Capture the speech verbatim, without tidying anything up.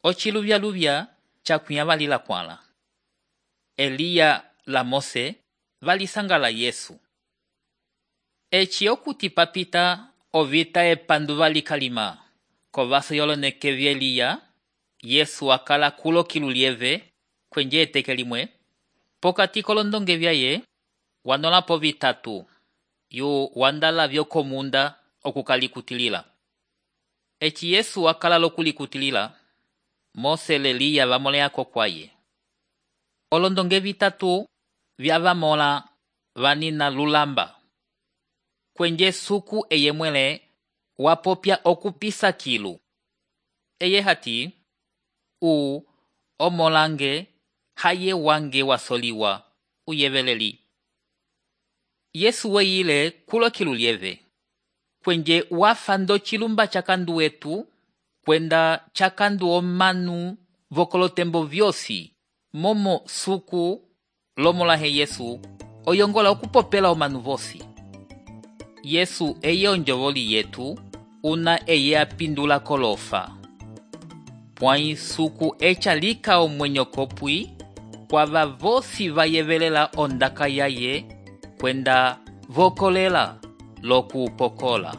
Ociluvyaluvya cakunya valila kwala. Eliya la Mose valisangala Yesu. Eci okuti papita ovita epandu valikalima. Kovaso yolonekevi Eliya, Yesu akala kulo kilulieve kwenje eteke limwe. Pokati kolondonge vyaye wanolapo vitatu yu wandala vyokomunda okukalikutilila. Eci Yesu akala lokulikutilila, Mose le Eliya vamoleako kwaye. Olondonge vitatu vyavamola vanina lulamba. Kwenje suku eye mwele wapopya okupisa kilu. Eye hati, u omolange haye wange wasoliwa uyeveleli. Yesu weyile kulo kilulieve. Kwenje wafando chilumba chakandu wetu, kwenda chakandu omanu vokolotembo vyosi, momo suku lomolahe Yesu, oyongola okupopela omanu vosi. Yesu eye onjovoli yetu, una eye apindula kolofa. Pwai suku echa lika omwenyo kopwi, kwava vosi vayevelela ondaka yaye, kwenda vokolela loku pokola.